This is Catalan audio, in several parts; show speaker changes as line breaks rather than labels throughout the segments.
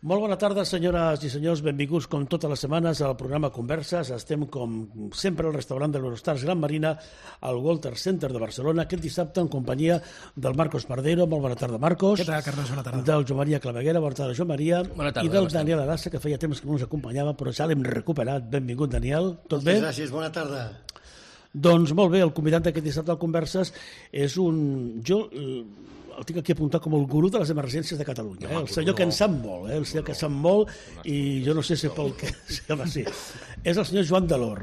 Molt bona tarda, senyores i senyors. Benvinguts, com totes les setmanes, al programa Converses. Estem, com sempre, al restaurant de l'Eurostars Gran Marina, al Walter Center de Barcelona, aquest dissabte en companyia del Marcos Pardero. Molt bona tarda, Marcos.
Què tal, Carles? Bona tarda.
Del Joan Maria Claveguera. Bona tarda, Joan Maria.
Bona tarda.
I del Daniel Arassa, que feia temps que no ens acompanyava, però ja l'hem recuperat. Benvingut, Daniel. Tot bé?
Gràcies, bona tarda.
Doncs molt bé, el convidat d'aquest dissabte al Converses és un... Jo el tinc aquí apuntat com el gurú de les emergències de Catalunya, el senyor que en sap molt, el senyor que sap molt, i jo no sé si pel que... Sí. És el senyor Joan Delor.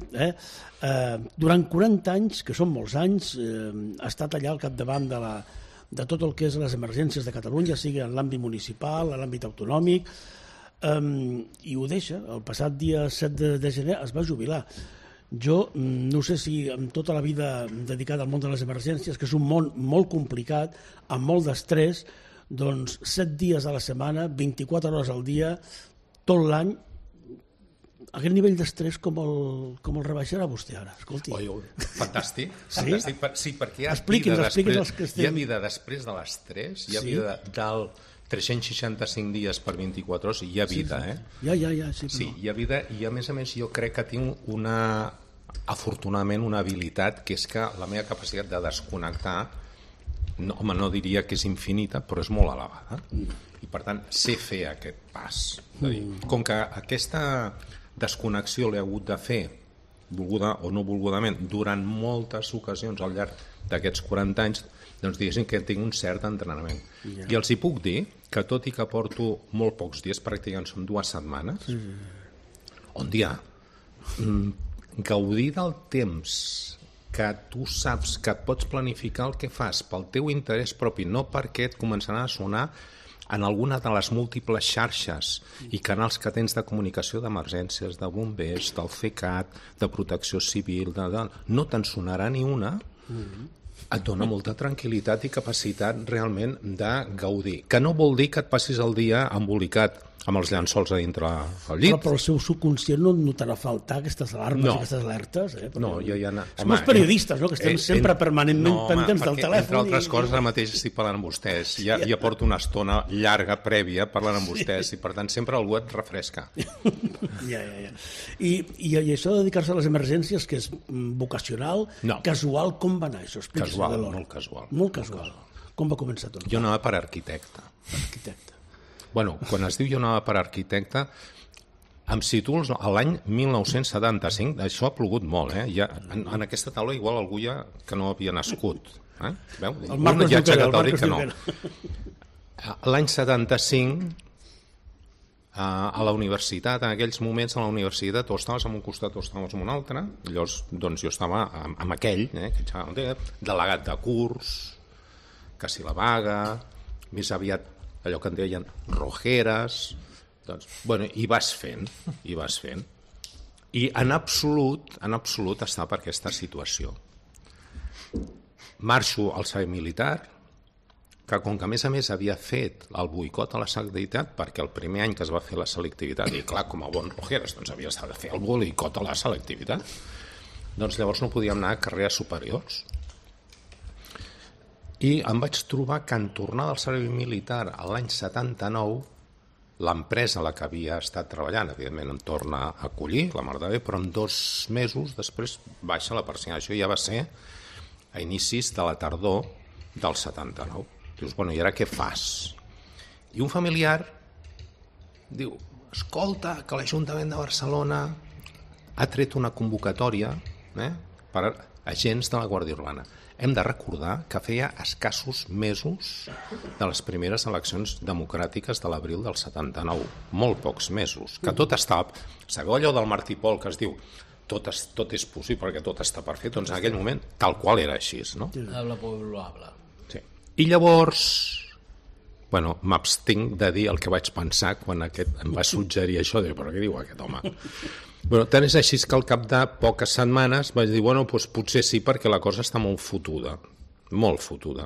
Durant 40 anys, que són molts anys, ha estat allà al capdavant de tot el que és les emergències de Catalunya, sigui en l'àmbit municipal, en l'àmbit autonòmic, i ho deixa. El passat dia 7 de gener es va jubilar. Jo no sé si amb tota la vida dedicada al món de les emergències, que és un món molt complicat, amb molt d'estrès, doncs 7 dies a la setmana, 24 hores al dia, tot l'any, aquest nivell d'estrès com el rebaixarà vostè ara? Escolti.
Fantàstic.
Sí?
Sí, perquè hi ha vida després de l'estrès, hi ha vida del 365 dies per 24 hores, hi ha vida,
Sí,
hi ha vida, i a més jo crec que tinc afortunadament una habilitat, que és que la meva capacitat de desconnectar, no diria que és infinita, però és molt elevada. I per tant, sé fer aquest pas. Com que aquesta desconnexió l'he hagut de fer, volguda o no volgudament, durant moltes ocasions al llarg d'aquests 40 anys, doncs diguéssim que tinc un cert entrenament. I els hi puc dir que tot i que porto molt pocs dies, pràcticament són 2 setmanes, on hi ha gaudir del temps que tu saps que et pots planificar el que fas pel teu interès propi, no perquè et començaran a sonar en alguna de les múltiples xarxes i canals que tens de comunicació d'emergències, de bombers, del CECAT, de protecció civil, no te'n sonarà ni una, et dona molta tranquil·litat i capacitat realment de gaudir. Que no vol dir que et passis el dia embolicat amb els llençols a dintre el llit.
Però el seu subconscient no notarà faltar aquestes alarmes i aquestes alertes.
No, ja...
Som els periodistes, no?, que estem sempre permanentment pendents del telèfon.
Entre altres coses, ara mateix estic parlant amb vostès. Ja porto una estona llarga, prèvia, parlant amb vostès, i per tant sempre algú et refresca.
Ja. I això de dedicar-se a les emergències, que és vocacional, casual, com va anar això?
Casual, molt casual.
Molt casual. Com va començar tot?
Jo anava per arquitecte. Bueno, quan es diu jo anava per arquitecte, em situo a l'any 1975, això ha plogut molt, en aquesta taula igual algú ja que no havia nascut. Veu?
El Marcos Junquera.
L'any 75, a la universitat, en aquells moments a la universitat, o estaves en un costat o estaves en un altre, llavors doncs jo estava amb aquell, delegat de curs, que si la vaga, més aviat allò que en deien rojeres, doncs, bueno, i vas fent. I en absolut està per aquesta situació. Marxo al servei militar, que com que a més havia fet el boicot a la selectivitat, perquè el primer any que es va fer la selectivitat, i clar, com a bon rojeres, doncs havies de fer el boicot a la selectivitat, doncs llavors no podíem anar a carreres superiors. I em vaig trobar que en tornar del servei militar l'any 79, l'empresa a la que havia estat treballant, evidentment em torna a acollir, la mar de bé, però en 2 mesos després baixa la persiana. Això ja va ser a inicis de la tardor del 79. Dius, bueno, i ara què fas? I un familiar diu, escolta, que l'Ajuntament de Barcelona ha tret una convocatòria per agents de la Guàrdia Urbana. Hem de recordar que feia escassos mesos de les primeres eleccions democràtiques de l'abril del 79. Molt pocs mesos. Que tot estava... Sabeu allò del Martí Pol que es diu tot és possible perquè tot està per fer? Doncs en aquell moment tal qual era així, no?
Habla pueblo habla.
Sí. I llavors, bueno, m'abstinc de dir el que vaig pensar quan aquest em va suggerir això, de però què diu aquest home? Bueno, tant és així que al cap de poques setmanes vaig dir, bueno, doncs potser sí, perquè la cosa està molt fotuda. Molt fotuda.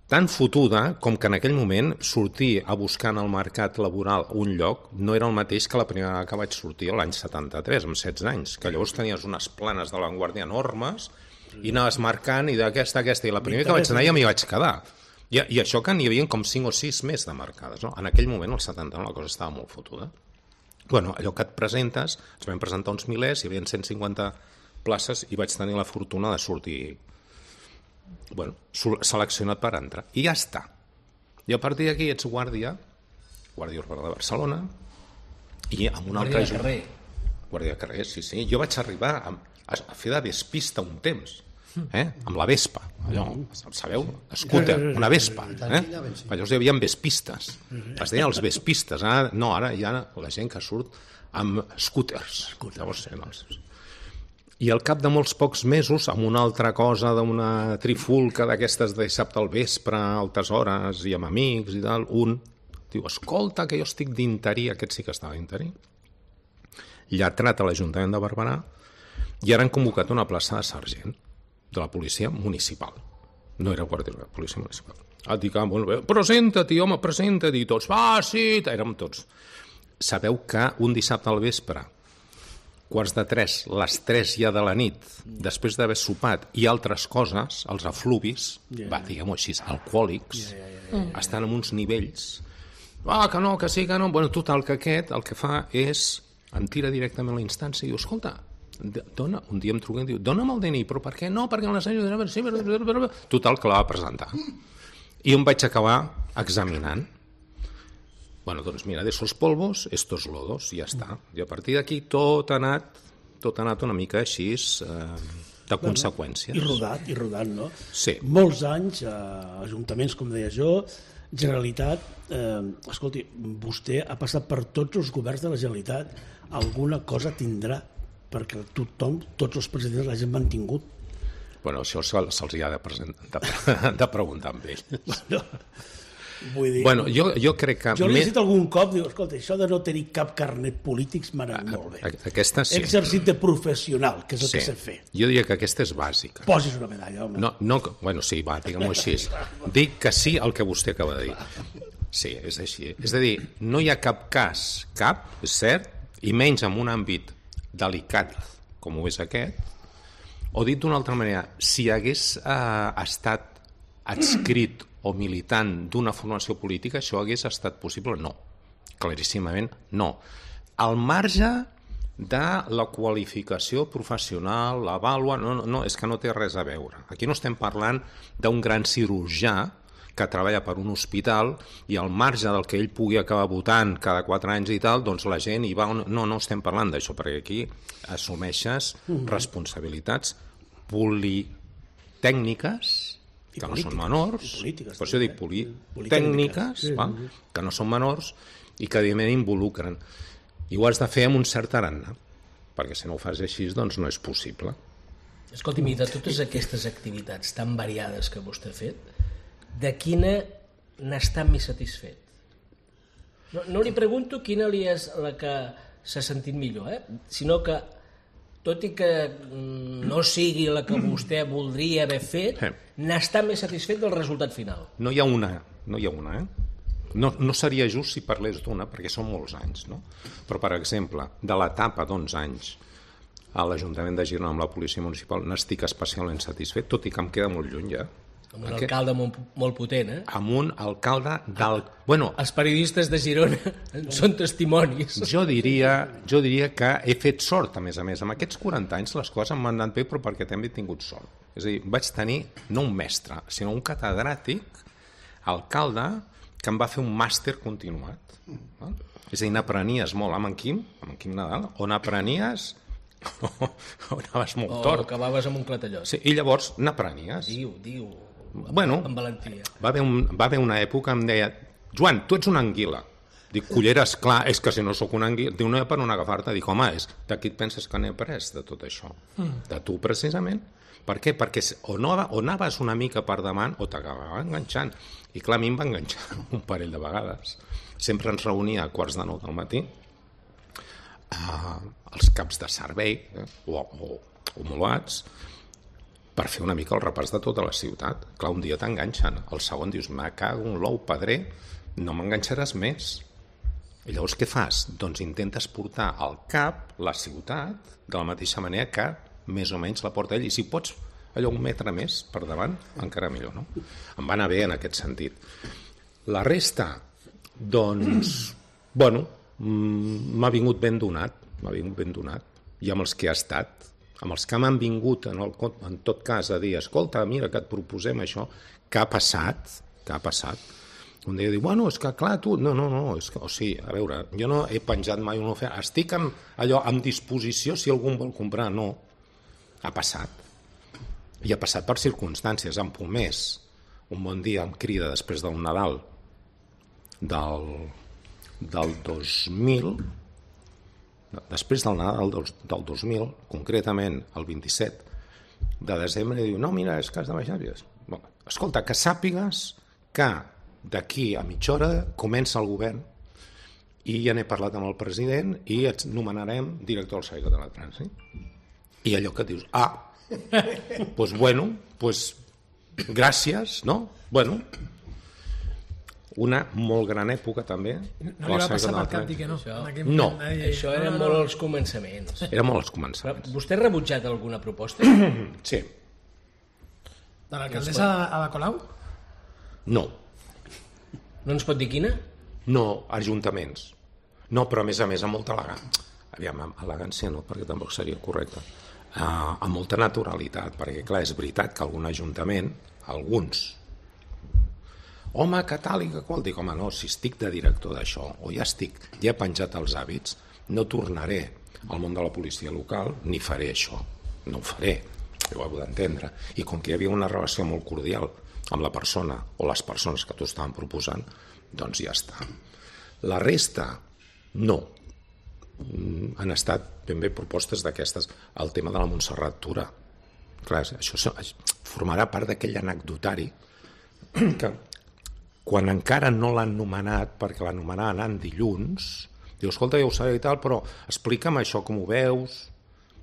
Tan fotuda com que en aquell moment sortir a buscar en el mercat laboral un lloc no era el mateix que la primera vegada que vaig sortir l'any 73, amb 16 anys, que llavors tenies unes planes de l'Avantguàrdia enormes i anaves marcant i d'aquesta, i la primera que vaig anar ja m'hi vaig quedar. I això que n'hi havia com 5 o 6 més de marcades, no? En aquell moment, al 79, la cosa estava molt fotuda. Bueno, allò que et presentes, ens vam presentar uns milers, hi havia 150 places i vaig tenir la fortuna de sortir seleccionat per entrar. I ja està. I a partir d'aquí ets guàrdia urbana de Barcelona, i amb un altre...
Guàrdia de carrer.
Guàrdia de carrer, sí. Jo vaig arribar a fer de vespista un temps, amb la Vespa, allò, sabeu? Scooter, una Vespa. Llavors hi havia vespistes, es deien els vespistes, ara hi ha la gent que surt amb scooters. Llavors, i al cap de molts pocs mesos, amb una altra cosa d'una trifulca d'aquestes de dissabte al vespre, a altes hores, i amb amics i tal, un diu, escolta, que jo estic d'interí, aquest sí que estava d'interí, lletrat a l'Ajuntament de Barberà, i ara han convocat una plaça de sergent de la policia municipal. No era guàrdia, era policia municipal. Dic, bueno, presenta-t'hi, home, presenta-t'hi, tots, sí, érem tots. Sabeu que un dissabte al vespre, 2:45, les 3 ja de la nit, després d'haver sopat i altres coses, els afluvis, diguem-ho així, alcohòlics, estan en uns nivells, que no, que sí, que no, bueno, total, que aquest el que fa és, em tira directament a la instància i diu, escolta, un dia em truquen i diu, dona'm el DNI, però per què no? Perquè la senyora... Total, que la va presentar. I em vaig acabar examinant. Bueno, doncs mira, de esos polvos, estos lodos, i ja està. I a partir d'aquí tot ha anat una mica així de conseqüències.
I rodant, no?
Sí.
Molts anys, ajuntaments, com deia jo, Generalitat, escolti, vostè ha passat per tots els governs de la Generalitat, alguna cosa tindrà, perquè tothom, tots els presidents l'hagin mantingut.
Bueno, això se'ls hi ha de preguntar amb ell.
Vull dir,
bueno, jo crec que...
Jo l'he dit algun cop, diu, escolta, això de no tenir cap carnet polític m'ha anat molt bé.
Aquesta sí.
Exercit de professional, que és el que sé fer.
Jo diria que aquesta és bàsica.
Posis una medalla, home.
No, bueno, sí, va, diguem-ho així. Dic que sí al que vostè acaba de dir. Sí, és així. És a dir, no hi ha cap cas, és cert, i menys en un àmbit delicat com ho és aquest, o dit d'una altra manera, si hagués estat adscrit o militant d'una formació política, això hagués estat possible? No, claríssimament no. Al marge de la qualificació professional, la vàlua, no, és que no té res a veure. Aquí no estem parlant d'un gran cirurgià que treballa per un hospital i al marge del que ell pugui acabar votant cada 4 anys i tal, doncs la gent hi va... No estem parlant d'això, perquè aquí assumeixes responsabilitats politècniques que no són menors, per això dic politècniques, que no són menors i que evidentment involucren. I ho has de fer amb un cert tarannà, perquè si no ho fas així, doncs no és possible.
Escolti'm, i de totes aquestes activitats tan variades que vostè ha fet, de quina n'està més satisfet? No li pregunto quina li és la que s'ha sentit millor, sinó que, tot i que no sigui la que vostè voldria haver fet, n'està més satisfet del resultat final.
No hi ha una, No seria just si parlés d'una, perquè són molts anys, no? Però, per exemple, de l'etapa d'11 anys a l'Ajuntament de Girona amb la Policia Municipal n'estic especialment satisfet, tot i que em queda molt lluny ja.
Amb un alcalde molt potent,
Amb un alcalde del... Bueno,
els periodistes de Girona són testimonis.
Jo diria que he fet sort, a més. Amb aquests 40 anys les coses m'han anat bé, però perquè també he tingut sort. És a dir, vaig tenir no un mestre, sinó un catedràtic, alcalde, que em va fer un màster continuat. És a dir, n'aprenies molt amb en Quim Nadal, on aprenies... o anaves molt tort.
O acabaves amb un clatellot.
Sí, i llavors n'aprenies.
Diu...
Bueno,
amb valentia.
Va haver una època que em deia, Joan, tu ets una anguila. Dic, culleres, clar, és que si no sóc una anguila... Diu, no hi ha per on agafar-te. Dic, home, de qui et penses que n'he après de tot això? De tu, precisament. Per què? Perquè o anaves una mica per davant o t'acabava enganxant. I clar, a mi em va enganxar un parell de vegades. Sempre ens reunia a 8:45 del matí, els caps de servei o homologats, per fer una mica el repàs de tota la ciutat. Clar, un dia t'enganxen, el segon dius, me cago en l'ou, padré, no m'enganxaràs més. I llavors què fas? Doncs intentes portar al cap la ciutat de la mateixa manera que més o menys la porta ell, i si pots allò un metre més per davant, encara millor, no? Em va anar bé en aquest sentit. La resta, doncs, bueno, m'ha vingut ben donat, i amb els que ha estat, amb els que m'han vingut en tot cas a dir, escolta, mira que et proposem això, què ha passat? Un dia diu, bueno, és que clar, tu... No, és que, o sigui, a veure, jo no he penjat mai una oferta, estic amb disposició si algú vol comprar, no. Ha passat. I ha passat per circumstàncies. En Pomés, un bon dia em crida després del Nadal del 2000, després del Nadal del 2000, concretament el 27 de desembre, diu, no, mira, és que has de baixar. Escolta, que sàpigues que d'aquí a mitja hora comença el govern i ja n'he parlat amb el president i et nomenarem director del Servei Català de Trànsit. I allò que dius, doncs bueno, doncs gràcies, no? Bueno, una molt gran època també.
No li va passar per cap dir que no.
No.
Això eren molt els començaments.
Era molt els començaments.
Vostè ha rebutjat alguna proposta?
Sí.
De l'alcaldessa Ada Colau?
No.
No ens pot dir quina?
No, ajuntaments. No, però a més amb molta elegància. Aviam, elegància no, perquè tampoc seria correcte. Amb molta naturalitat, perquè clar, és veritat que algun ajuntament, alguns, home, que tal i que qual, dic, home, no, si estic de director d'això, o ja he penjat els hàbits, no tornaré al món de la policia local, ni faré això. No ho faré, ho heu d'entendre. I com que hi havia una relació molt cordial amb la persona o les persones que t'ho estaven proposant, doncs ja està. La resta, no. Han estat ben bé propostes d'aquestes. El tema de la Montserrat Tura. Clar, això formarà part d'aquell anecdotari que quan encara no l'han nomenat, perquè l'han nomenat dilluns, diu, escolta, ja ho sabeu i tal, però explica'm això, com ho veus?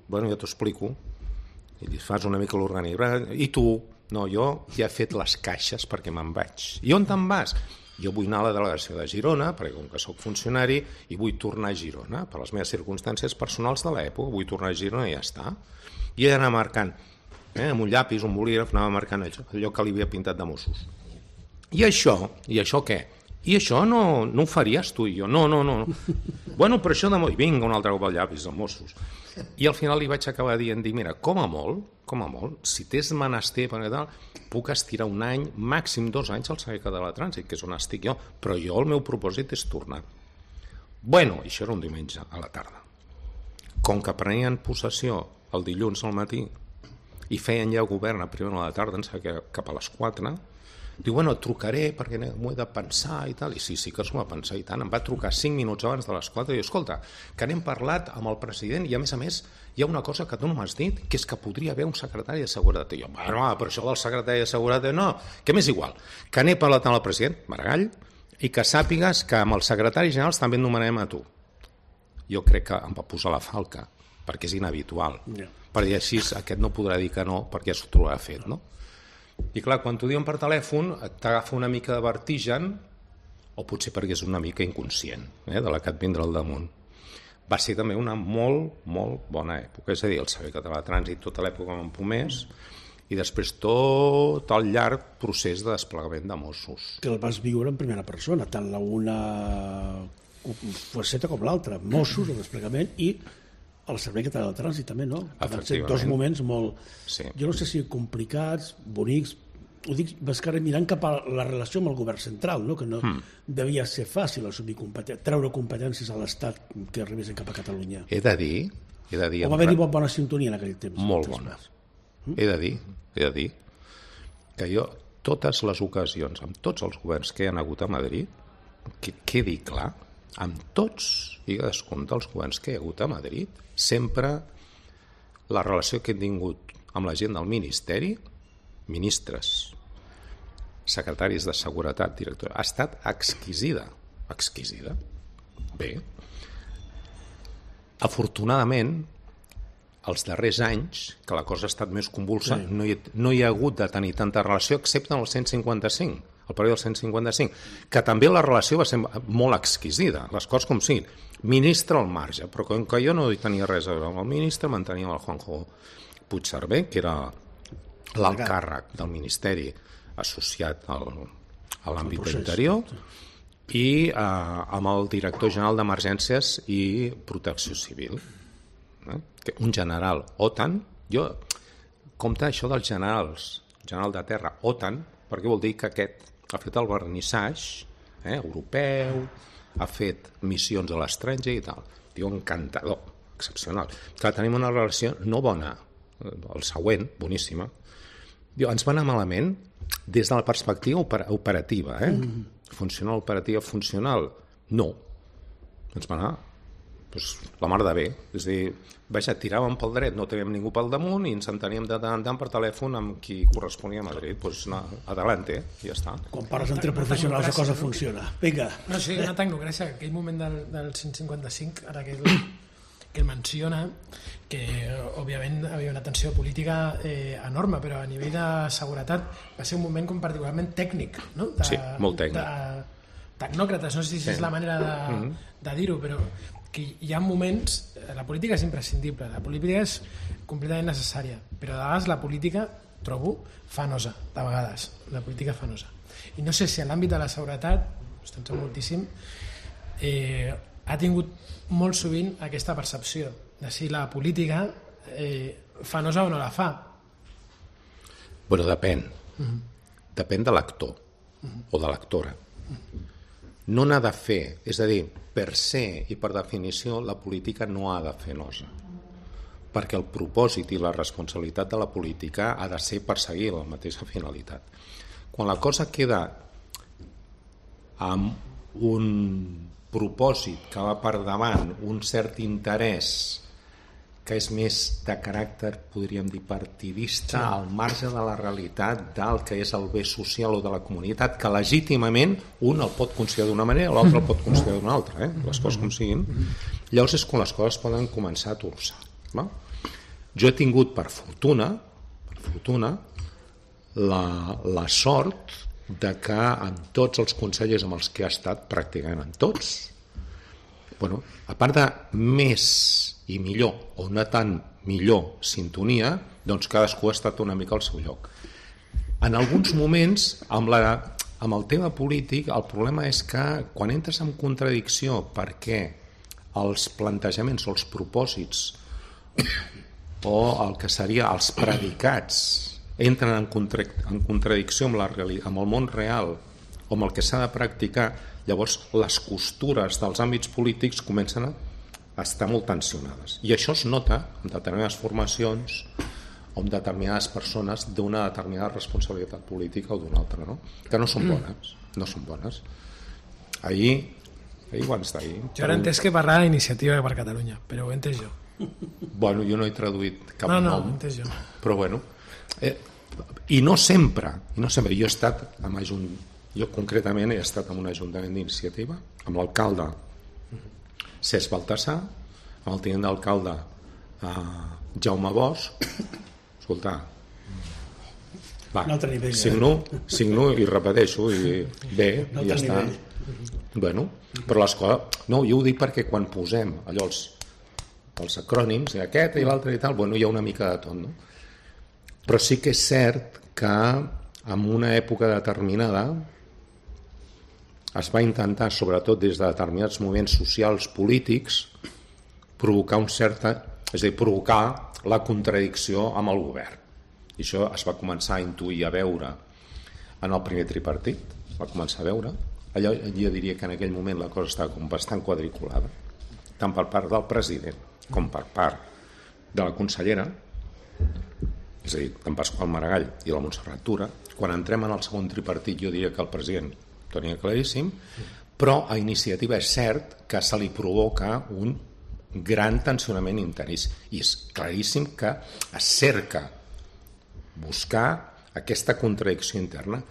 Bueno, ja t'ho explico. I li fas una mica l'organigrama. I tu? No, jo ja he fet les caixes perquè me'n vaig. I on te'n vas? Jo vull anar a la delegació de Girona, perquè com que sóc funcionari, i vull tornar a Girona, per les meves circumstàncies personals de l'època, vull tornar a Girona i ja està. I he d'anar marcant, amb un llapis, un bolígraf, anava marcant allò que li havia pintat de Mossos. I això què? I això no ho faries tu i jo? No. Bueno, però això i vinga, un altre cop al llapis, els Mossos. I al final li vaig acabar dient, mira, com a molt, si t'és menester, puc estirar un any, màxim 2 anys al Servei Català de Trànsit, que és on estic jo, però jo el meu propòsit és tornar. Bueno, això era un diumenge a la tarda. Com que prenien possessió el dilluns al matí i feien ja govern a primera hora de la tarda, em sembla que cap a les 4, diu, bueno, et trucaré perquè m'ho he de pensar i tal, i sí que s'ho va pensar i tant, em va trucar 5 minuts abans de les 4 i diu, escolta, que n'hem parlat amb el president i a més hi ha una cosa que tu no m'has dit, que és que podria haver un secretari de seguretat. I jo, bueno, però això del secretari de seguretat no, que m'és igual, que n'he parlat amb el president, Maragall, i que sàpigues que amb els secretaris generals també et nomenarem a tu. Jo crec que em va posar la falca, perquè és inhabitual, perquè així aquest no podrà dir que no, perquè ja s'ho trobarà fet, no? I clar, quan t'ho diuen per telèfon t'agafa una mica de vertigen, o potser perquè és una mica inconscient de la que et vindrà al damunt. Va ser també una molt, molt bona època, és a dir, el Servei Català de Trànsit, tota l'època amb Pomés, i després tot el llarg procés de desplegament de Mossos.
Que el vas viure en primera persona, tant la una faceta com l'altra, Mossos, el desplegament, i el Servei Català de Trànsit també, no? Van ser 2 moments molt... Sí. Jo no sé si complicats, bonics, ho dic bascaré mirant cap a la relació amb el govern central, no? Que no devia ser fàcil assumir treure competències a l'Estat que arribessin cap a Catalunya.
He de dir...
O va haver-hi bona sintonia en aquell temps.
Molt bona. He de dir que jo, totes les ocasions, amb tots els governs que hi ha hagut a Madrid, que quedi clar, amb tots i cadascun dels governs que hi ha hagut a Madrid, sempre la relació que he tingut amb la gent del Ministeri, ministres, secretaris de Seguretat, director, ha estat exquisida. Bé. Afortunadament, els darrers anys, que la cosa ha estat més convulsa, no hi ha hagut de tenir tanta relació, excepte en el 155, el període del 155, que també la relació va ser molt exquisida, les coses com siguin. Ministre al marge, però com que jo no hi tenia res a veure amb el ministre, mantenia amb el Juanjo Puigcerver, que era l'alt càrrec del Ministeri associat a l'àmbit d'interior i amb el director general d'Emergències i Protecció Civil. Un general OTAN, jo compte això dels generals, general de terra OTAN, perquè vol dir que aquest ha fet el vernissatge europeu, ha fet missions a l'estranger i tal. Diu, encantador, excepcional. Clar, tenim una relació no bona, el següent, boníssima. Diu, ens va anar malament des de la perspectiva operativa, funcional, operativa, funcional. No. Ens va anar la mar de bé. És a dir, tiràvem pel dret, no teníem ningú pel damunt i ens enteníem de tant en tant per telèfon amb qui corresponia a Madrid. Doncs adelante, ja està.
Quan parles entre professionals la cosa funciona. Vinga.
No, sí, una tecnocràcia. Aquell moment del 155, ara que el menciona, que òbviament havia una tensió política enorme, però a nivell de seguretat va ser un moment com particularment tècnic, no?
Sí, molt tècnic.
Tecnòcrates, no sé si és la manera de dir-ho, però que hi ha moments, la política és imprescindible, la política és completament necessària, però de vegades la política, trobo, fanosa, de vegades, la política fanosa. I no sé si en l'àmbit de la seguretat, estem sent moltíssim, ha tingut molt sovint aquesta percepció de si la política fa nosa o no la fa.
Bueno, depèn. Depèn de l'actor o de l'actora. No n'ha de fer, és a dir, per se i per definició la política no ha de fer nosa, perquè el propòsit i la responsabilitat de la política ha de ser perseguir la mateixa finalitat. Quan la cosa queda amb un propòsit que va per davant, un cert interès que és més de caràcter, podríem dir, partidista, al marge de la realitat del que és el bé social o de la comunitat, que legítimament un el pot considerar d'una manera, l'altre el pot considerar d'una altra, les coses com siguin. Llavors és quan les coses poden començar a torçar. Jo he tingut, per fortuna, la sort de que en tots els consellers amb els que he estat, pràcticament en tots, a part de més i millor o no tan millor sintonia, doncs cadascú ha estat una mica al seu lloc. En alguns moments, amb el tema polític, el problema és que quan entres en contradicció perquè els plantejaments o els propòsits o el que seria els predicats entren en contradicció amb el món real o amb el que s'ha de practicar, llavors les costures dels àmbits polítics comencen a estar molt tensionades. I això es nota en determinades formacions o en determinades persones d'una determinada responsabilitat política o d'una altra, no? Que no són bones. No són bones. Ahir abans d'ahir...
Jo ara he entès que parlava d'Iniciativa per Catalunya, però ho he entès jo.
Bueno, jo no he traduït cap nom.
No, ho he entès jo.
Però bueno... I no sempre. Jo he estat amb jo concretament he estat en un ajuntament d'Iniciativa, amb l'alcalde Cesc Baltasar, amb el tinent d'alcalde Jaume Bosch. Escolta, signo i repeteixo i bé, i ja està. Bueno, però les coses... No, jo ho dic perquè quan posem allò els acrònims, aquest i l'altre i tal, bueno, hi ha una mica de tot, no? Però sí que és cert que en una època determinada es va intentar, sobretot des de determinats moviments socials polítics, provocar provocar la contradicció amb el govern. I això es va començar a intuir, a veure en el primer tripartit, va començar a veure. Allò jo diria que en aquell moment la cosa estava com bastant quadriculada, tant per part del president com per part de la consellera, és a dir, d'en Pasqual Maragall i la Montserrat Tura. Quan entrem en el segon tripartit jo diria que el president tenia claríssim, però a Iniciativa és cert que se li provoca un gran tensionament intern i és claríssim que es cerca buscar aquesta contradicció interna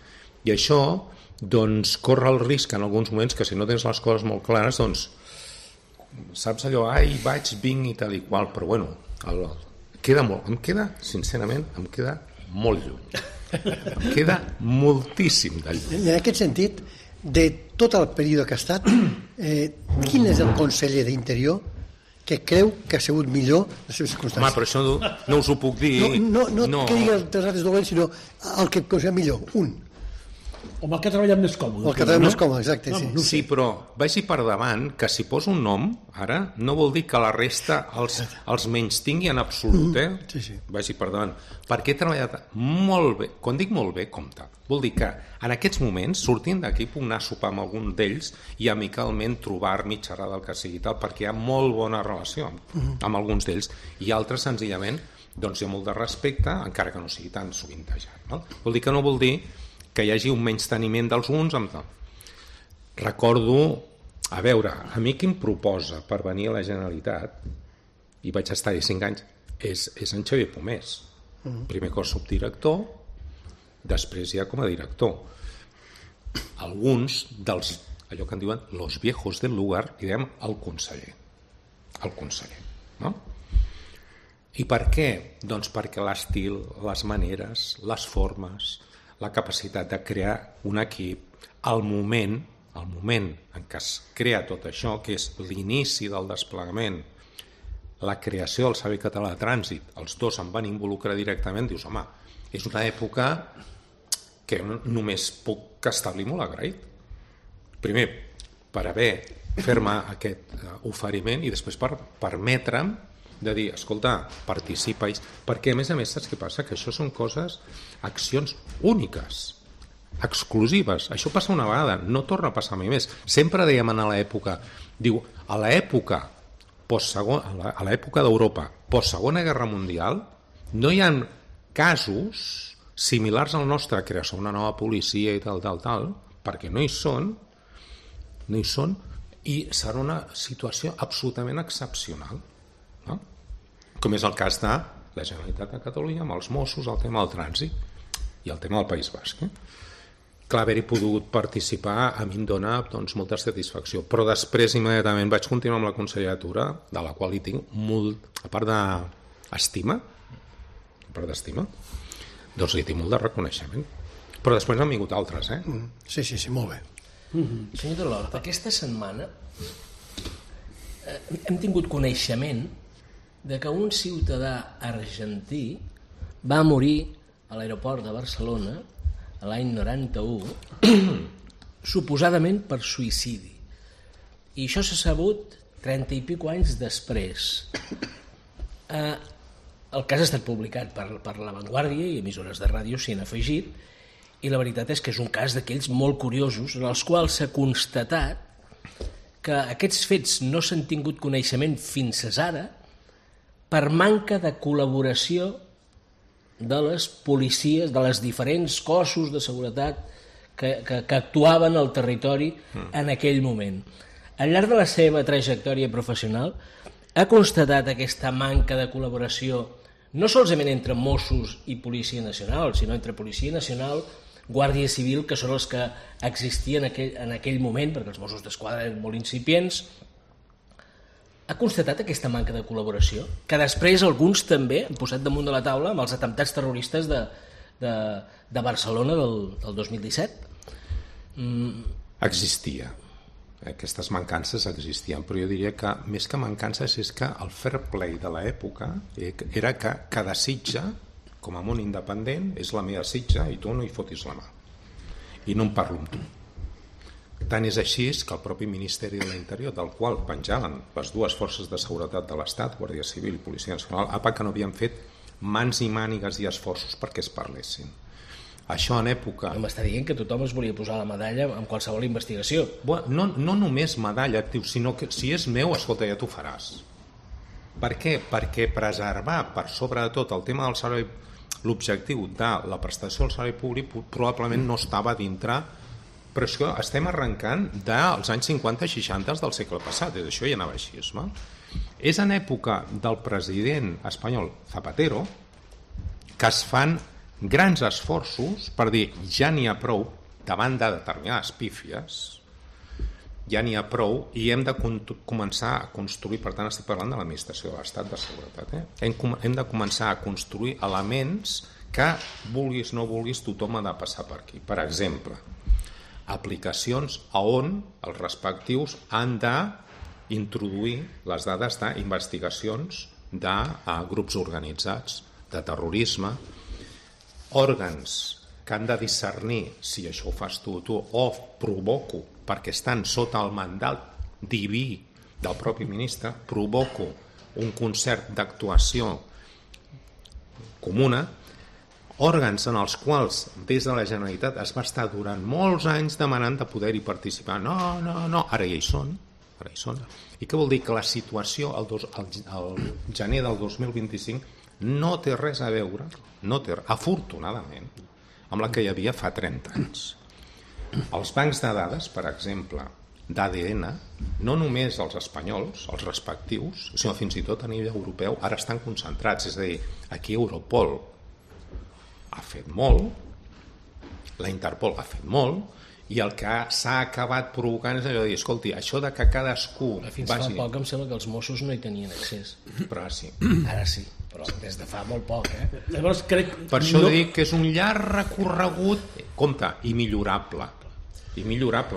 i això doncs corre el risc en alguns moments que si no tens les coses molt clares doncs saps allò, vinc i tal i qual, però bueno sincerament em queda molt lluny. Em queda moltíssim de lluny.
En aquest sentit, de tot el període que ha estat, quin és el conseller d'Interior que creu que ha sigut millor les seves circumstàncies.
Home, però això no us ho puc dir.
No que digui els altres dolents, sinó el que considera millor, un.
O el que ha treballat més còmode.
El que ha treballat més còmode, exacte, sí.
Sí, però vagi per davant que si poso un nom, ara, no vol dir que la resta els menys tingui en absolut,
Sí.
Vagi per davant. Perquè he treballat molt bé. Quan dic molt bé, compte. Vol dir que en aquests moments, sortint d'aquí, puc anar a sopar amb algun d'ells i amicalment trobar-m'hi, xerrar del que sigui tal, perquè hi ha molt bona relació amb alguns d'ells. I altres, senzillament, doncs hi ha molt de respecte, encara que no sigui tan sovintejat. No? Vol dir que no vol dir que hi hagi un menysteniment dels uns amb tal. Recordo, a veure, a mi qui em proposa per venir a la Generalitat, i vaig estar-hi 5 anys, és en Xavier Pomés. Primer cos subdirector, després ja com a director. Alguns dels, allò que en diuen los viejos del lugar, i diem el conseller. El conseller, no? I per què? Doncs perquè l'estil, les maneres, les formes, la capacitat de crear un equip, el moment en què es crea tot això, que és l'inici del desplegament, la creació del Servei Català de Trànsit, els dos em van involucrar directament, dius, home, és una època que només puc establir molt agraït. Primer, per fer-me aquest oferiment i després per permetre'm de dir, escolta, participa, perquè a més saps què passa? Que això són coses, accions úniques, exclusives. Això passa una vegada, no torna a passar mai més. Sempre dèiem a l'època, diu, a l'època d'Europa, post-segona guerra mundial, no hi ha casos similars al nostre, creació una nova policia i tal, perquè no hi són, i serà una situació absolutament excepcional. No? Com és el cas de la Generalitat de Catalunya amb els Mossos, el tema del trànsit i el tema del País Basc. Clar, haver-hi pogut participar a mi em dona molta satisfacció, però després immediatament vaig continuar amb la conselleria, de la qual hi tinc molt, a part d'estima, doncs li tinc molt de reconeixement, però després han vingut altres.
Sí, molt bé.
Senyor Delort, aquesta setmana hem tingut coneixement de que un ciutadà argentí va morir a l'aeroport de Barcelona l'any 91 suposadament per suïcidi, i això s'ha sabut 30 i pico anys després. El cas ha estat publicat per La Vanguardia i emissores de ràdio s'hi han afegit, i la veritat és que és un cas d'aquells molt curiosos en els quals s'ha constatat que aquests fets no s'han tingut coneixement fins ara per manca de col·laboració de les policies, de les diferents cossos de seguretat que actuaven al territori en aquell moment. Al llarg de la seva trajectòria professional ha constatat aquesta manca de col·laboració no solament entre Mossos i Policia Nacional, sinó entre Policia Nacional, Guàrdia Civil, que són els que existien en aquell moment, perquè els Mossos d'Esquadra eren molt incipients. Ha constatat aquesta manca de col·laboració, que després alguns també han posat damunt de la taula amb els atemptats terroristes de Barcelona del 2017?
Existia. Aquestes mancances existien, però jo diria que més que mancances és que el fair play de l'època era que cada sitja, com a món independent, és la meva sitja i tu no hi fotis la mà. I no em parlo amb tu. Tant és així que el propi Ministeri de l'Interior, del qual penjaven les dues forces de seguretat de l'Estat, Guàrdia Civil i Policia Nacional, que no havien fet mans i mànigues i esforços perquè es parlessin. Això en època...
M'està dient que tothom es volia posar la medalla en qualsevol investigació.
No només medalla, sinó que si és meu, escolta, ja t'ho faràs. Per què? Perquè preservar per sobre de tot el tema del servei, l'objectiu de la prestació del servei públic probablement no estava dintre, però és que estem arrencant dels anys 50 i 60 del segle passat, i això ja anava així. És en època del president espanyol Zapatero que es fan grans esforços per dir ja n'hi ha prou davant de determinades pífies, ja n'hi ha prou i hem de començar a construir, per tant estic parlant de l'administració de l'Estat de Seguretat, hem de començar a construir elements que vulguis no vulguis tothom ha de passar per aquí. Per exemple, aplicacions on els respectius han de introduir les dades d'investigacions de grups organitzats, de terrorisme, òrgans que han de discernir si això ho fas tu o provoco, perquè estan sota el mandat diví del propi ministre, provoco un concert d'actuació comuna, òrgans en els quals des de la Generalitat es va estar durant molts anys demanant de poder-hi participar. No, ara ja hi són. I què vol dir? Que la situació al gener del 2025 no té res a veure, afortunadament, amb la que hi havia fa 30 anys. Els bancs de dades, per exemple, d'ADN, no només els espanyols, els respectius, sinó fins i tot a nivell europeu, ara estan concentrats. És a dir, aquí Europol ha fet molt, la Interpol ha fet molt, i el que s'ha acabat provocant és allò de dir, escolti, això de que cadascú
fins fa poc em sembla que els Mossos no hi tenien accés.
Però ara sí.
Ara sí, però des de fa molt poc,
Llavors, crec...
Per això dic que és un llarg recorregut, compte, i millorable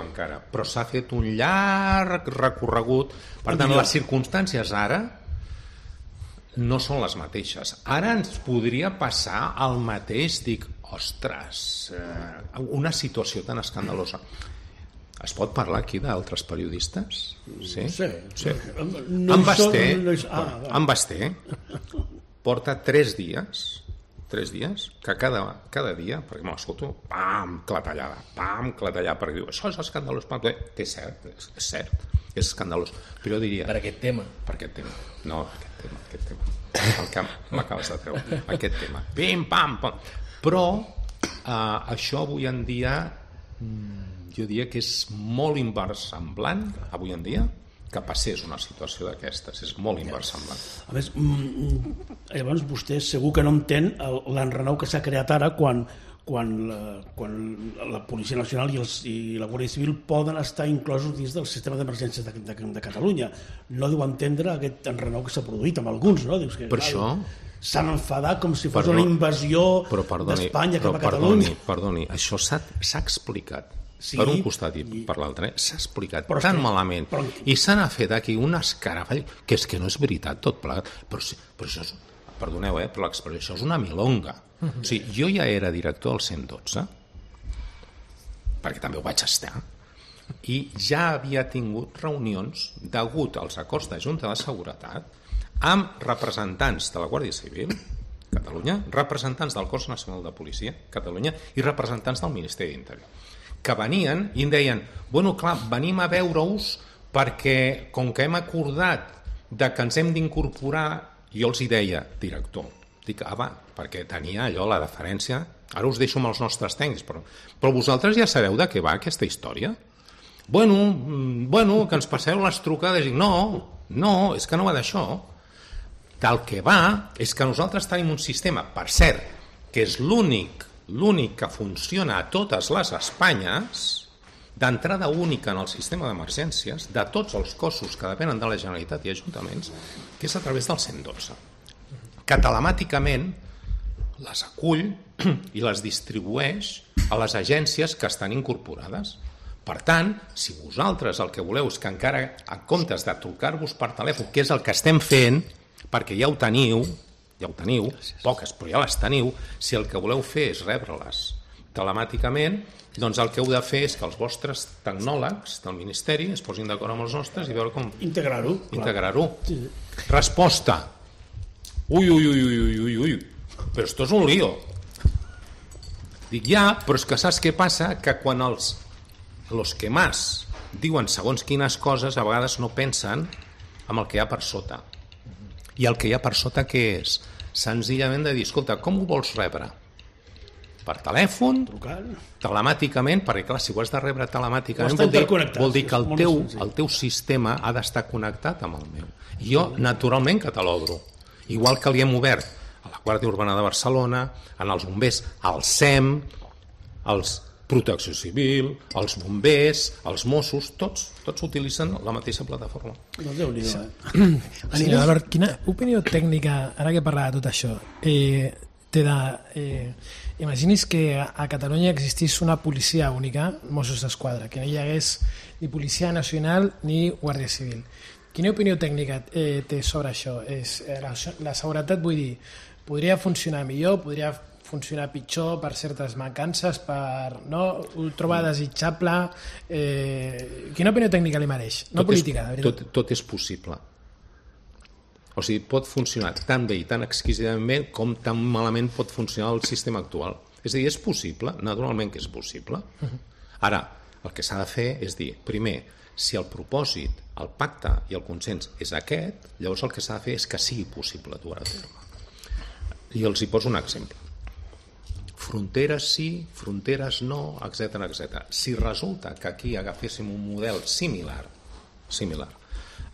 encara, però s'ha fet un llarg recorregut. Per tant, les circumstàncies ara no són les mateixes. Ara ens podria passar el mateix, dic, ostres, una situació tan escandalosa. Es pot parlar aquí d'altres periodistes? Sí. En Basté porta 3 dies que cada dia, perquè m'escolto, pam, clatellada, perquè diu, això és escandalós, és cert, és escandalós, però jo diria...
Per aquest tema.
No, aquest tema. El que m'acabes de treure, aquest tema. Pim, pam, pam. Però això avui en dia jo diria que és molt inversemblant avui en dia que passés una situació d'aquestes, és molt inversemblant.
A més, llavors vostè segur que no entén l'enrenou que s'ha creat ara quan la Policia Nacional i la Guàrdia Civil poden estar inclosos dins del sistema d'emergències de Catalunya. No deu entendre aquest enrenou que s'ha produït amb alguns, no? Dius que,
per això
s'han enfadat com si fos una invasió d'Espanya cap a Catalunya.
Perdoni, això s'ha explicat per un costat i per l'altre, s'ha explicat tan malament i s'han fet aquí un escarafall que és que no és veritat tot plegat, però això és, perdoneu per l'expressió, això és una milonga. O sigui, jo ja era director del 112 perquè també ho vaig estar i ja havia tingut reunions degut als acords de Junta de Seguretat amb representants de la Guàrdia Civil Catalunya, representants del Cos Nacional de Policia Catalunya i representants del Ministeri d'Interior, que venien i em deien, bueno, clar, venim a veure-us perquè com que hem acordat de que ens hem d'incorporar, jo els hi deia, director, dic, perquè tenia allò, la deferència, ara us deixo amb els nostres tècnics, però vosaltres ja sabeu de què va aquesta història? Bueno, que ens passeu les trucades, i dic, no, és que no va d'això. Del que va és que nosaltres tenim un sistema, per cert, que és l'únic que funciona a totes les Espanyes, d'entrada única en el sistema d'emergències, de tots els cossos que depenen de la Generalitat i ajuntaments, que és a través del 112, que telemàticament les acull i les distribueix a les agències que estan incorporades. Per tant, si vosaltres el que voleu és que encara, en comptes de trucar-vos per telèfon, que és el que estem fent, perquè ja ho teniu, poques, però ja les teniu, si el que voleu fer és rebre-les telemàticament, doncs el que heu de fer és que els vostres tecnòlegs del Ministeri es posin d'acord amb els nostres i veure com... Integrar-ho. Sí. Resposta. Ui, però esto és un lío. Dic, ja, però és que saps què passa? Que quan els que más diuen segons quines coses, a vegades no pensen en el que hi ha per sota. I el que hi ha per sota què és? Senzillament de dir, escolta, com ho vols rebre? Per telèfon, telemàticament, perquè clar, si ho has de rebre telemàticament vol dir que el teu sistema ha d'estar connectat amb el meu. I jo, naturalment, que te l'obro. Igual que li hem obert a la Guàrdia Urbana de Barcelona, en els bombers, al SEM, als Protecció Civil, els bombers, els Mossos, tots utilitzen la mateixa plataforma.
Senyor Albert, quina opinió tècnica, ara que parla de tot això, té de... Imagini's que a Catalunya existís una policia única, Mossos d'Esquadra, que no hi hagués ni Policia Nacional ni Guàrdia Civil. Quina opinió tècnica té sobre això? La seguretat, vull dir, podria funcionar millor, podria funcionar pitjor per certes mancances, ho troba desitjable? Quina opinió tècnica li mereix? No política, de veritat.
Tot és possible. O sigui, pot funcionar tan bé i tan exquisidament bé com tan malament pot funcionar el sistema actual. És a dir, és possible, naturalment que és possible. Ara, el que s'ha de fer és dir, primer, si el propòsit, el pacte i el consens és aquest, llavors el que s'ha de fer és que sigui possible dur a terme. I els hi poso un exemple. Fronteres sí, fronteres no, etc. Si resulta que aquí agaféssim un model similar,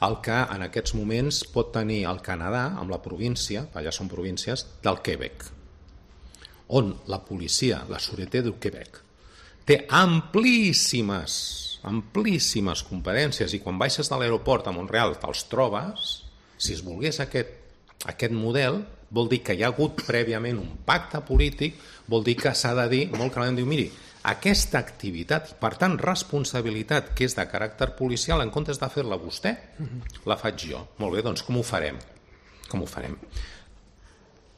el que en aquests moments pot tenir el Canadà amb la província, allà són províncies, del Quebec, on la policia, la Sûreté du Québec, té amplíssimes competències i quan baixes de l'aeroport a Montreal te'ls trobes. Si es volgués aquest model, vol dir que hi ha hagut prèviament un pacte polític, vol dir que s'ha de dir molt clarament, diu, miri, aquesta activitat, per tant responsabilitat que és de caràcter policial, en comptes de fer-la vostè, la faig jo. Molt bé, doncs com ho farem?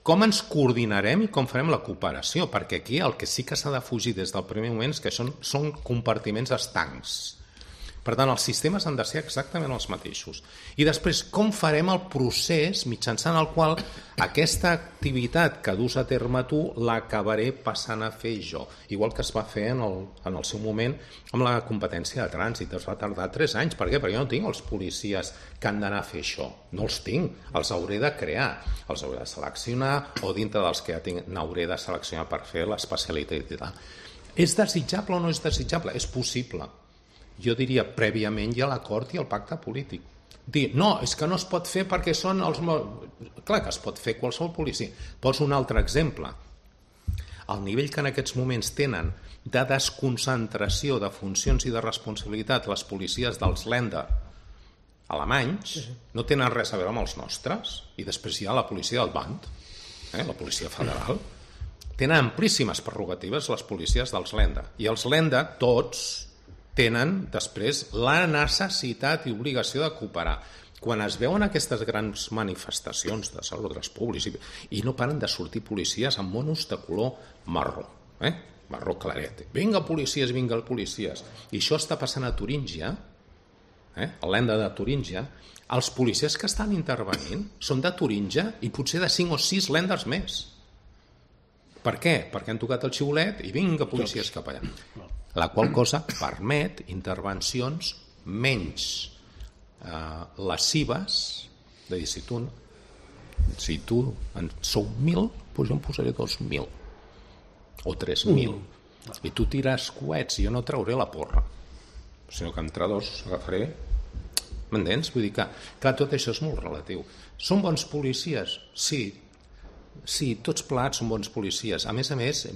Com ens coordinarem i com farem la cooperació? Perquè aquí el que sí que s'ha de fugir des del primer moment és que són compartiments estancs. Per tant, els sistemes han de ser exactament els mateixos. I després, com farem el procés mitjançant el qual aquesta activitat que dus a terme tu l'acabaré passant a fer jo? Igual que es va fer en el seu moment amb la competència de trànsit. Es va tardar 3 anys. Per què? Perquè jo no tinc els policies que han d'anar a fer això. No els tinc. Els hauré de crear. Els hauré de seleccionar o dintre dels que ja tinc n'hauré de seleccionar per fer l'especialitat i tal. És desitjable o no és desitjable? És possible. Jo diria, prèviament hi ha l'acord i el pacte polític. Dir, no, és que no es pot fer perquè són els... Clar que es pot fer qualsevol policia. Poso un altre exemple. El nivell que en aquests moments tenen de desconcentració de funcions i de responsabilitat les policies dels Länder alemanys no tenen res a veure amb els nostres. I després hi ha la policia del Bund, la policia federal. Tenen amplíssimes prerrogatives les policies dels Länder. I els Länder, tots, tenen després la necessitat i obligació de cooperar. Quan es veuen aquestes grans manifestacions de desordres públics i no paren de sortir policies amb monos de color marró, marró claret. Vinga policies, I això està passant a Turíngia, a l'Enda de Turíngia. Els policies que estan intervenint són de Turíngia i potser de 5 o 6 lènders més. Per què? Perquè han tocat el xiulet i vinga policies cap allà. La qual cosa permet intervencions menys lesives, de dir, si tu en sou 1.000, doncs jo em posaré 2.000 o 3.000 i tu tires coets i jo no trauré la porra, sinó que entre dos agafaré. M'entens? Vull dir que, clar, tot això és molt relatiu. Són bons policies? Sí, tots plegats són bons policies. A més,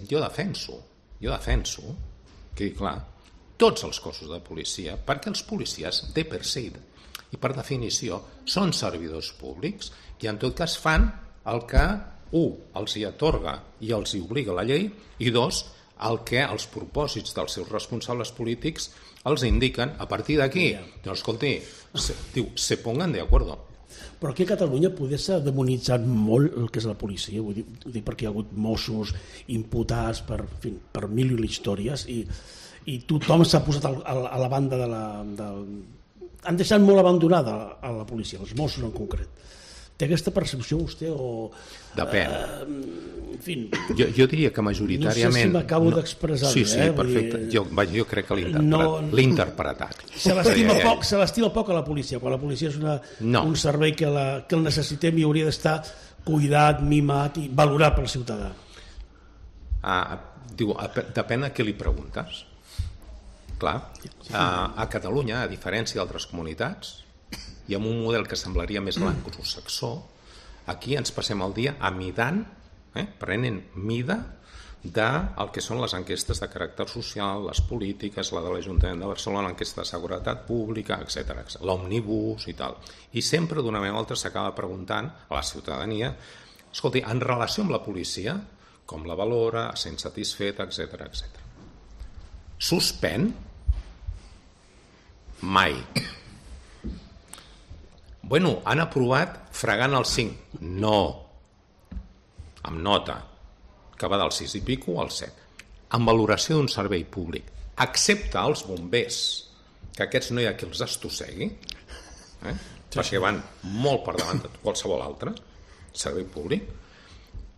jo defenso que, clar, tots els cossos de policia, perquè els policies, de per se i per definició, són servidors públics i en tot cas fan el que, 1, els hi atorga i els hi obliga la llei, i 2, el que els propòsits dels seus responsables polítics els indiquen. A partir d'aquí, doncs, escolti, se pongan de acuerdo.
Però aquí a Catalunya poder s'ha demonitzat molt el que és la policia, vull dir perquè hi ha hagut Mossos imputats per 1.000 històries i tothom s'ha posat a la banda de la... Han deixat molt abandonada a la policia, els Mossos en concret. Té aquesta percepció vostè o...
Depèn.
En fi...
Jo diria que majoritàriament...
No sé si m'acabo d'expressar bé.
Sí, perfecte. Jo crec que l'he interpretat.
Se l'estima poc a la policia, quan la policia és un servei que el necessitem i hauria d'estar cuidat, mimat i valorat pel ciutadà.
Depèn a què li preguntes. Clar, a Catalunya, a diferència d'altres comunitats, i amb un model que semblaria més anglosaxó, aquí ens passem el dia amidant, prenent mida del que són les enquestes de caràcter social, les polítiques, la de l'Ajuntament de Barcelona, l'enquesta de seguretat pública, etc. L'òmnibus i tal. I sempre d'una manera o altra s'acaba preguntant a la ciutadania, escolti, en relació amb la policia, com la valora, sent satisfet, etc. Suspèn? Mai. Bueno, han aprovat fregant el 5. No. Amb nota, que va del 6 i pico al 7. Amb valoració d'un servei públic. Excepte els bombers, que aquests no hi ha qui els estossegui, perquè van molt per davant de qualsevol altre servei públic.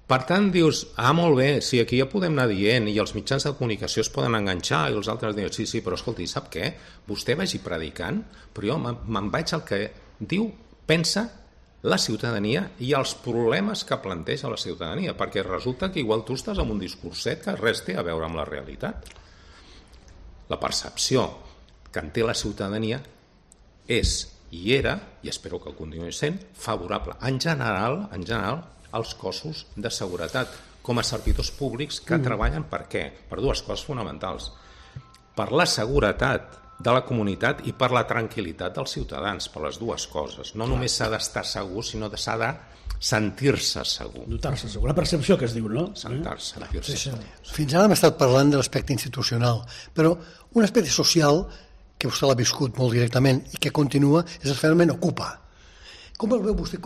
Per tant, dius, molt bé, sí, aquí ja podem anar dient i els mitjans de comunicació es poden enganxar i els altres diuen, sí, però escolti, sap què? Vostè vagi predicant, però jo me'n vaig al que diu, pensa la ciutadania i els problemes que planteja la ciutadania, perquè resulta que igual tu estàs amb un discurset que res té a veure amb la realitat. La percepció que en té la ciutadania és i era, i espero que continuï sent, favorable. En general, als cossos de seguretat, com a servidors públics que treballen per què? Per dues coses fonamentals. Per la seguretat de la comunitat i per la tranquil·litat dels ciutadans, per les dues coses. No només s'ha d'estar segur, sinó que s'ha de sentir-se segur.
Notar-se segur, la percepció que es diu, no?
Sentir-se.
Fins ara hem estat parlant de l'aspecte institucional, però un aspecte social que vostè l'ha viscut molt directament i que continua és el fenomen Ocupa. Com el veu vostè?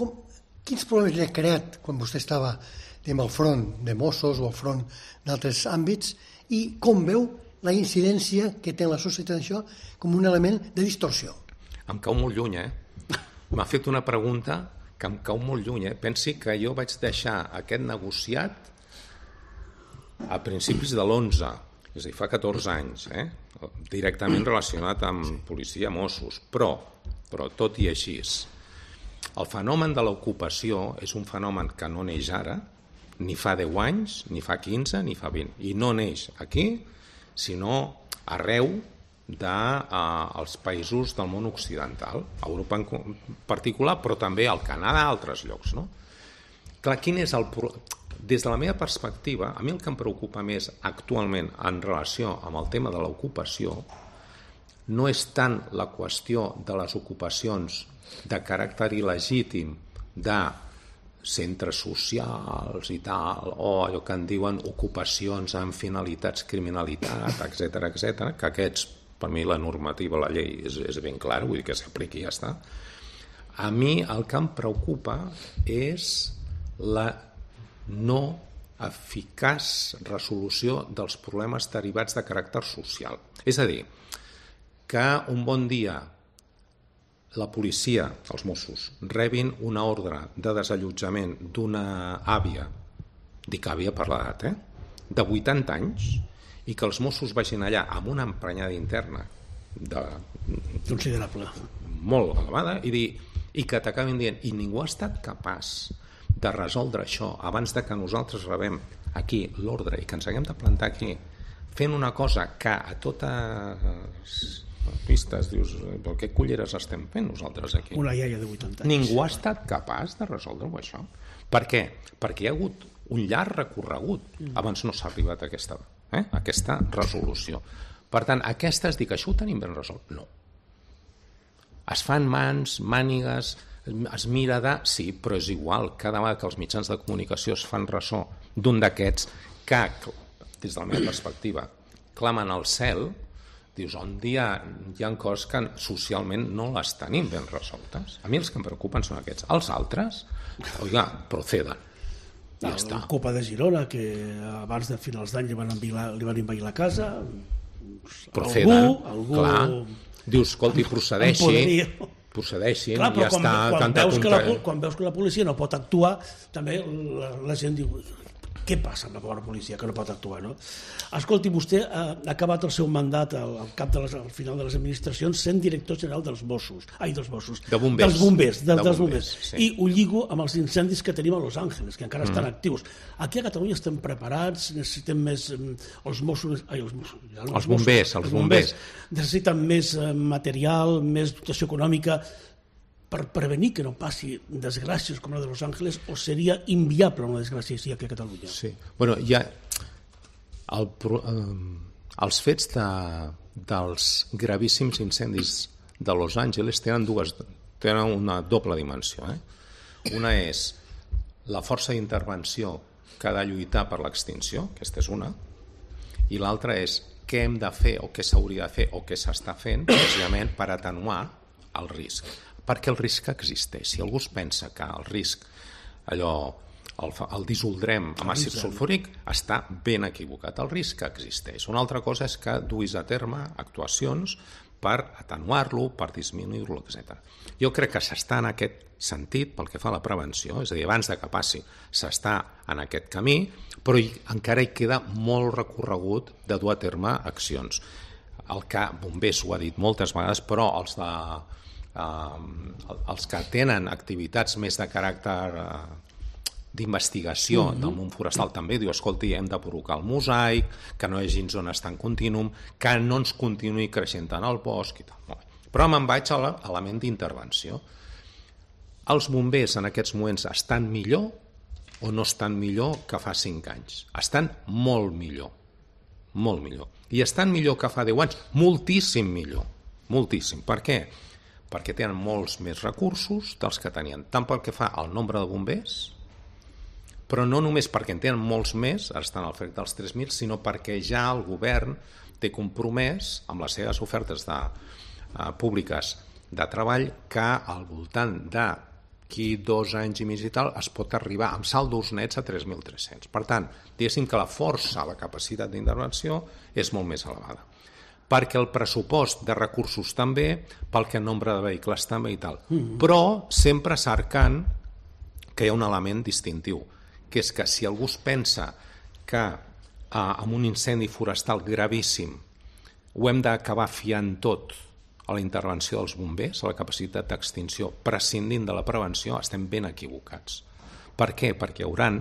Quins problemes li ha creat quan vostè estava al front de Mossos o al front d'altres àmbits i com veu la incidència que té en la societat això com un element de distorsió?
Em cau molt lluny, M'ha fet una pregunta que em cau molt lluny, Pensi que jo vaig deixar aquest negociat a principis de l'11, és a dir, fa 14 anys, directament relacionat amb policia, Mossos, però tot i així, el fenomen de l'ocupació és un fenomen que no neix ara, ni fa 10 anys, ni fa 15, ni fa 20, i no neix aquí, sinó arreu dels països del món occidental, Europa en particular, però també al Canadà, a altres llocs. No? Clar, quin és el problema? Des de la meva perspectiva, a mi el que em preocupa més actualment en relació amb el tema de l'ocupació no és tant la qüestió de les ocupacions de caràcter il·legítim de centres socials i tal, o allò que en diuen ocupacions amb finalitats criminalitat, etc, que aquests, per mi la normativa, la llei és ben clara, vull dir que s'apliqui i ja està. A mi el que em preocupa és la no eficaç resolució dels problemes derivats de caràcter social. És a dir, que un bon dia la policia, els Mossos, rebin una ordre de desallotjament d'una àvia, dic àvia per l'edat, de 80 anys, i que els Mossos vagin allà amb una emprenyada interna
considerable,
molt elevada, i que t'acabin dient, i ningú ha estat capaç de resoldre això abans de que nosaltres rebem aquí l'ordre i que ens haguem de plantar aquí fent una cosa que a totes pistes dius, però què culleres estem fent nosaltres aquí?
Una iaia de 80 anys.
Ningú ha estat capaç de resoldre-ho això. Per què? Perquè hi ha hagut un llarg recorregut abans no s'ha arribat a aquesta resolució. Per tant, aquestes, dic, això ho tenim ben resolt? No. Es fan mans, mànigues, es mira de... Sí, però és igual, cada vegada que els mitjans de comunicació es fan ressò d'un d'aquests que, des de la meva perspectiva, clamen al cel, dius, on hi ha coses que socialment no les tenim ben resoltes. A mi els que em preocupen són aquests. Els altres, oiga, proceden. Ja està.
La Copa de Girona, que abans de finals d'any li van envair la casa.
Proceden, clar. Dius, escolti, procedeixin,
clar,
ja està.
Quan veus que la policia no pot actuar, també la gent diu... Què passa amb la pobra policia que no pot actuar, no? Escolti, vostè ha acabat el seu mandat al final de les administracions sent director general dels Mossos. Dels bombers. Sí. I ho lligo amb els incendis que tenim a Los Angeles, que encara estan actius. Aquí a Catalunya estem preparats, necessitem més... Els bombers necessiten més material, més dotació econòmica per prevenir que no passi desgràcies com la de Los Angeles, o seria inviable una desgràcia així aquí a Catalunya?
Sí. Bueno, ja els fets dels gravíssims incendis de Los Angeles tenen una doble dimensió. Una és la força d'intervenció que ha de lluitar per l'extinció, aquesta és una, i l'altra és què hem de fer o què s'hauria de fer o què s'està fent precisament per atenuar el risc. perquè el risc existeix. Si algú es pensa que el risc, allò, el dissoldrem amb àcid sulfúric, està ben equivocat. El risc existeix. Una altra cosa és que duis a terme actuacions per atenuar-lo, per disminuir-lo, etc. Jo crec que s'està en aquest sentit pel que fa a la prevenció, és a dir, abans de que passi s'està en aquest camí, però encara hi queda molt recorregut de dur a terme accions. El que Bombers ho ha dit moltes vegades, però els que tenen activitats més de caràcter d'investigació del món forestal també diu, escolti, hem de provocar el mosaic, que no hi hagi zones tan contínuum, que no ens continuï creixent tant el bosc i tal. Però me'n vaig a l'element d'intervenció. Els bombers en aquests moments estan millor o no estan millor que fa 5 anys? Estan molt millor, molt millor. I estan millor que fa 10 anys? Moltíssim millor, moltíssim. Per què? Perquè tenen molts més recursos dels que tenien, tant pel que fa al nombre de bombers, però no només perquè en tenen molts més, ara estan al frec dels 3.000, sinó perquè ja el govern té compromès amb les seves ofertes públiques de treball que al voltant d'aquí 2 anys i mig i tal es pot arribar amb saldos nets a 3.300. Per tant, diguéssim que la força, la capacitat d'intervenció és molt més elevada. Perquè el pressupost de recursos també, pel que el nombre de vehicles també i tal. Però sempre cercant que hi ha un element distintiu, que és que si algú es pensa que amb un incendi forestal gravíssim ho hem d'acabar fiant tot a la intervenció dels bombers, a la capacitat d'extinció, prescindint de la prevenció, estem ben equivocats. Per què? Perquè hi haurà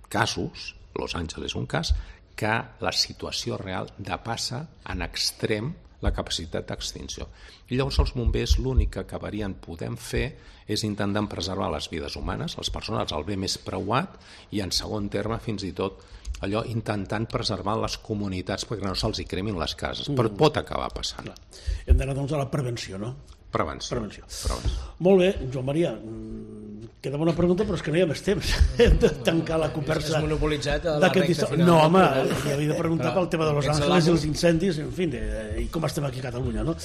casos, Los Angeles és un cas, que la situació real depassa en extrem la capacitat d'extinció. I llavors els bombers l'únic que acabarien podent fer és intentar preservar les vides humanes, les persones, el bé més preuat, i en segon terme fins i tot allò intentant preservar les comunitats perquè no se'ls hi cremin les cases, però pot acabar passant.
Hem d'anar doncs a la prevenció, no?
Prevenció.
Molt bé, Joan Maria, queda una pregunta, però és que no hi ha més temps. Hem de tancar la conversa.
Has monopolitzat a la recta final.
No, home, li havia de preguntar pel tema de Los Angeles i els incendis, en fi, i com estem aquí a Catalunya, no?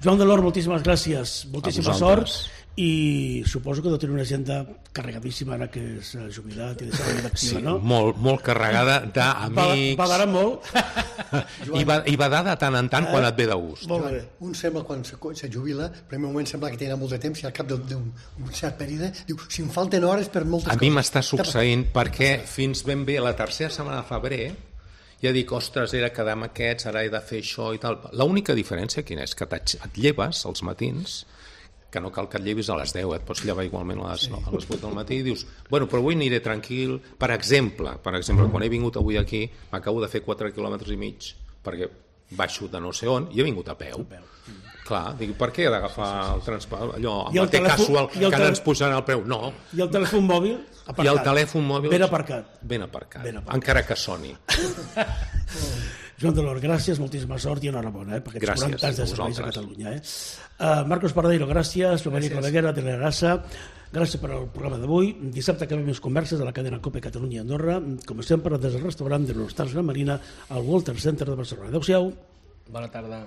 Joan Delort, moltíssimes gràcies, moltíssima sort, i suposo que deu tenir una agenda carregadíssima ara que és jubilat i deixat la vida activa, no?
Sí, molt carregada d'amics.
Badara molt.
I badada de tant en tant quan et ve de gust.
Joan, un sembla quan se jubila, en primer moment sembla que tindrà molt de temps i al cap d'un cert període diu, si em falten hores per moltes coses.
A mi m'està succeint perquè fins ben bé la tercera setmana de febrer ja dic, ostres, era quedar amb aquests, ara he de fer això i tal. L'única diferència quina és? Que et lleves als matins, que no cal que et llevis a les 10, et pots llevar igualment a les 8 del matí i dius, bueno, però avui aniré tranquil. Per exemple, quan he vingut avui aquí, m'acabo de fer 4 quilòmetres i mig, perquè baixo de no sé on, i he vingut a peu. Clar, dic, per què he d'agafar el transport? Allò, amb el té casual, que ara ens posaran el preu. No.
I el telèfon mòbil aparcat.
I el telèfon mòbil...
Ben aparcat.
Ben aparcat, encara que soni.
Joan Delort, gràcies, moltíssima sort i enhorabona per aquests 40 anys de serveis a Catalunya. Marcos Pardeiro, gràcies. Joan Maria Claveguera, de Telerasa, gràcies per al programa d'avui. Dissabte acabem les converses de la cadena COPE Catalunya i Andorra, com sempre des del restaurant de l'Hostal Gran Marina al Walter Center de Barcelona. Adéu-siau.
Bona tarda.